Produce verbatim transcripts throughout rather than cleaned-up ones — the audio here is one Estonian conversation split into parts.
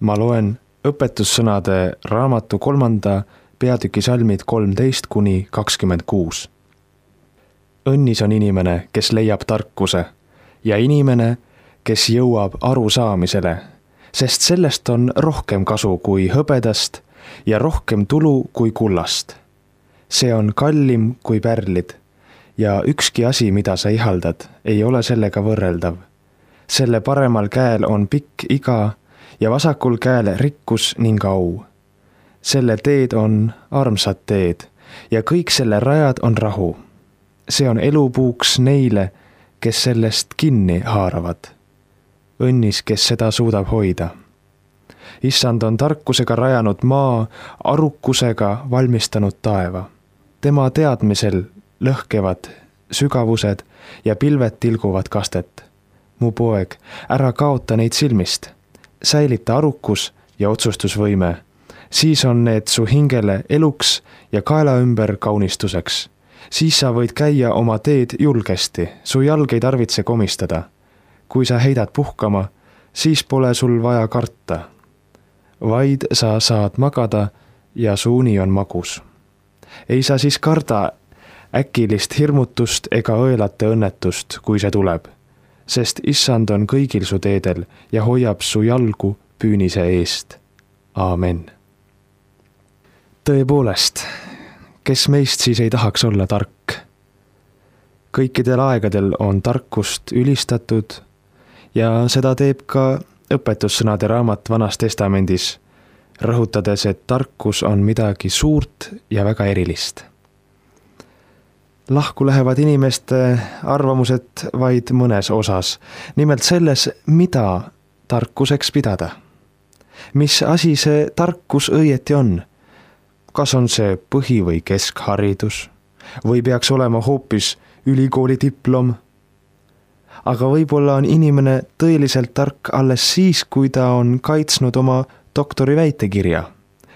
Ma loen õpetussõnade raamatu kolmanda peatüki salmid kolmteist kuni kakskümmend kuus. Õnnis on inimene, kes leiab tarkuse ja inimene, kes jõuab arusaamisele, sest sellest on rohkem kasu kui hõbedast ja rohkem tulu kui kullast. See on kallim kui pärlid ja ükski asi, mida sa ihaldad, ei ole sellega võrreldav. Selle paremal käel on pikk iga ja vasakul käel rikkus ning au. Selle teed on armsad teed ja kõik selle rajad on rahu. See on elupuuks neile, kes sellest kinni haaravad. Õnnis, kes seda suudab hoida. Issand on tarkusega rajanud maa, arukusega valmistanud taeva. Tema teadmisel lõhkevad sügavused ja pilved tilguvad kastet. Mu poeg, ära kaota neid silmist. Säilita arukus ja otsustusvõime. Siis on need su hingele eluks ja kaela ümber kaunistuseks. Siis sa võid käia oma teed julgesti, su jalg ei tarvitse komistada. Kui sa heidad puhkama, siis pole sul vaja karta. Vaid sa saad magada ja su uni on magus. Ei sa siis karda äkilist hirmutust ega õelate õnnetust, kui see tuleb, sest issand on kõigil su teedel ja hoiab su jalgu püünise eest. Aamen. Tõepoolest, kes meist siis ei tahaks olla tark? Kõikidel aegadel on tarkust ülistatud ja seda teeb ka õpetussõnade raamat Vanas testamendis, rõhutades, et tarkus on midagi suurt ja väga erilist. Lahku lähevad inimeste arvamused vaid mõnes osas, nimelt selles, mida tarkuseks pidada. Mis asi see tarkus õieti on? Kas on see põhi- või keskharidus? Või peaks olema hoopis ülikooli diplom? Aga võib-olla on inimene tõeliselt tark alles siis, kui ta on kaitsnud oma doktori väitekirja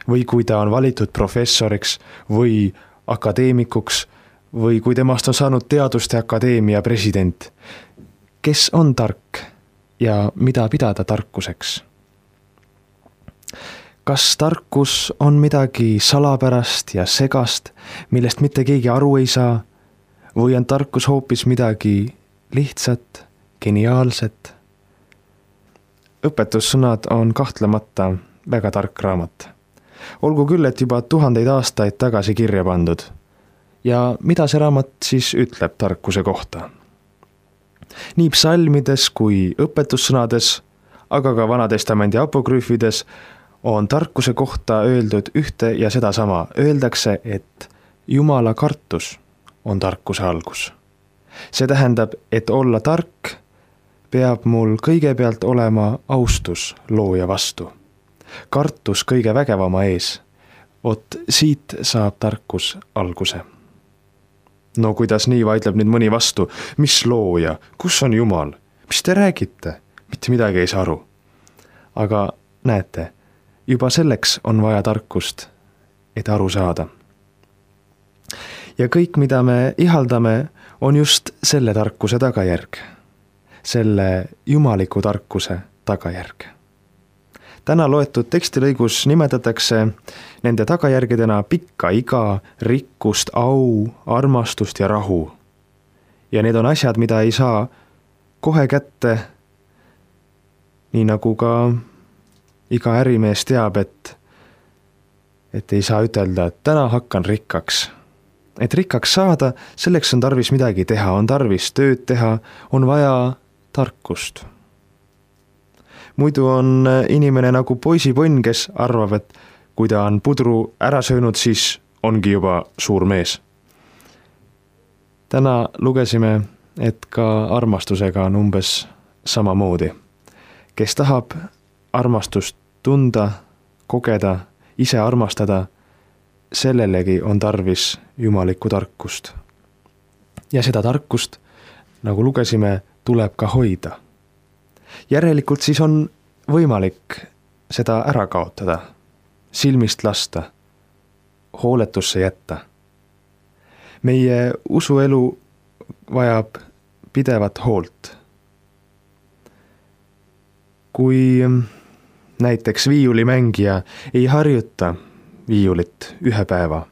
või kui ta on valitud professoriks või akadeemikuks või kui temast on saanud teaduste akadeemia president. Kes on tark ja mida pidada tarkuseks? Kas tarkus on midagi salapärast ja segast, millest mitte keegi aru ei saa, või on tarkus hoopis midagi lihtsat, geniaalset? Õpetussõnad on kahtlemata väga tark raamat. Olgu küll, et juba tuhandeid aastaid tagasi kirja pandud. Ja mida see raamat siis ütleb tarkuse kohta? Nii psalmides kui õpetussõnades, aga ka Vanatestamendi apokrüüfides on tarkuse kohta öeldud ühte ja sedasama. Öeldakse, et Jumala kartus on tarkuse algus. See tähendab, et olla tark peab mul kõigepealt olema austus looja vastu. Kartus kõige vägevama ees. Ot siit saab tarkus alguse. No kuidas nii, vaidleb nüüd mõni vastu? Mis looja? Kus on Jumal? Mis te räägite? Mitte midagi ei saa aru. Aga näete, juba selleks on vaja tarkust, et aru saada. Ja kõik, mida me ihaldame, on just selle tarkuse tagajärg. Selle jumaliku tarkuse tagajärg. Täna loetud tekstilõigus nimetatakse nende tagajärgedena pikka iga, rikkust, au, armastust ja rahu. Ja need on asjad, mida ei saa kohe kätte, nii nagu ka iga ärimees teab, et, et ei saa ütelda, et täna hakkan rikkaks. Et rikkaks saada, selleks on tarvis midagi teha, on tarvis tööd teha, on vaja tarkust. Muidu on inimene nagu poisiponn, kes arvab, et kui ta on pudru ära söönud, siis ongi juba suur mees. Täna lugesime, et ka armastusega on umbes samamoodi. Kes tahab armastust tunda, kogeda, ise armastada, sellelegi on tarvis jumalikku tarkust. Ja seda tarkust, nagu lugesime, tuleb ka hoida. Järelikult siis on võimalik seda ära kaotada, silmist lasta, hooletusse jätta. Meie usuelu vajab pidevat hoolt. Kui näiteks viiulimängija ei harjuta viiulit ühe päeva.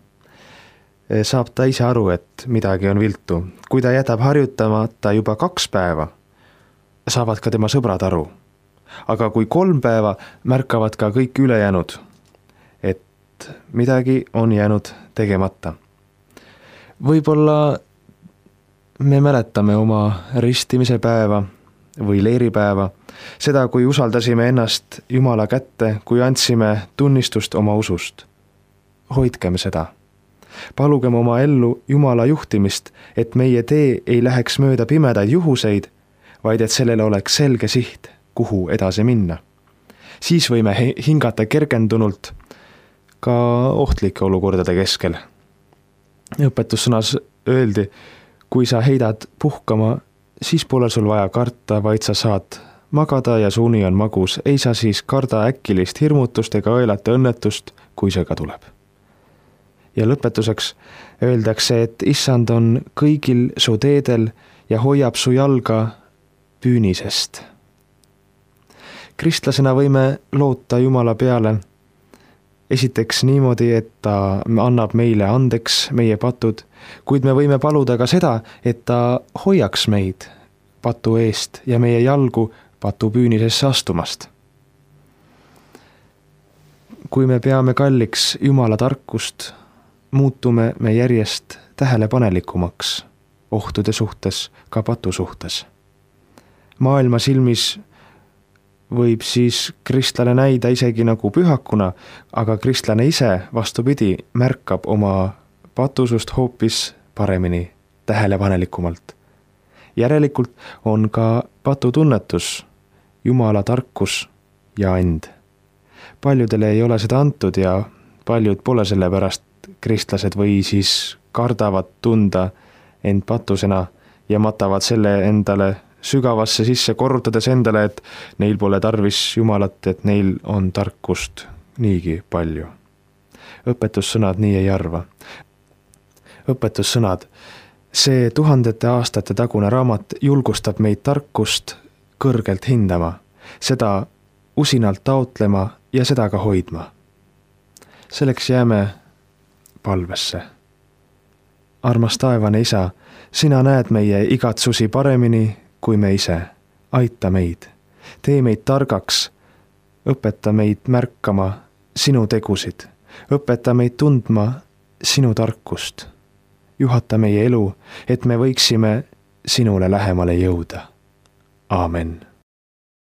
Saab ta ise aru, et midagi on viltu. Kui ta jätab harjutamata juba kaks päeva, saavad ka tema sõbrad aru. Aga kui kolm päeva, märkavad ka kõik ülejäänud, et midagi on jäänud tegemata. Võib-olla me mäletame oma ristimise päeva või leeripäeva, seda, kui usaldasime ennast Jumala kätte, kui andsime tunnistust oma usust. Hoidkem seda. Palugem oma ellu Jumala juhtimist, et meie tee ei läheks mööda pimedaid juhuseid, vaid et sellele oleks selge siht, kuhu edasi minna. Siis võime hingata kergendunult ka ohtlike olukordade keskel. Õpetussõnas öeldi, kui sa heidad puhkama, siis pole sul vaja karta, vaid sa saad magada ja su uni on magus. Ei sa siis karda äkilist hirmutust ega õelata õnnetust, kui see ka tuleb. Ja lõpetuseks öeldakse, et issand on kõigil su teedel ja hoiab su jalga püünisest. Kristlasena võime loota Jumala peale esiteks niimoodi, et ta annab meile andeks meie patud, kuid me võime paluda ka seda, et ta hoiaks meid patu eest ja meie jalgu patu püünisesse astumast. Kui me peame kalliks Jumala tarkust, muutume me järjest tähelepanelikumaks ohtude suhtes, ka patu suhtes. Maailma silmis võib siis kristlane näida isegi nagu pühakuna, aga kristlane ise vastupidi märkab oma patusust hoopis paremini, tähelepanelikumalt. Järelikult on ka patutunnetus, Jumala tarkus ja and. Paljudele ei ole seda antud ja paljud pole selle pärast kristlased või siis kardavad tunda end patusena ja matavad selle endale sügavasse sisse, korrutades endale, et neil pole tarvis Jumalat, et neil on tarkust niigi palju. Õpetussõnad nii ei arva. Õpetussõnad, see tuhandete aastate tagune raamat julgustab meid tarkust kõrgelt hindama, seda usinalt taotlema ja seda ka hoidma. Selleks jääme palvesse. Armas taevane isa, sina näed meie igatsusi paremini kui me ise. Aita meid. Tee meid targaks. Õpeta meid märkama sinu tegusid. Õpeta meid tundma sinu tarkust. Juhata meie elu, et me võiksime sinule lähemale jõuda. Aamen.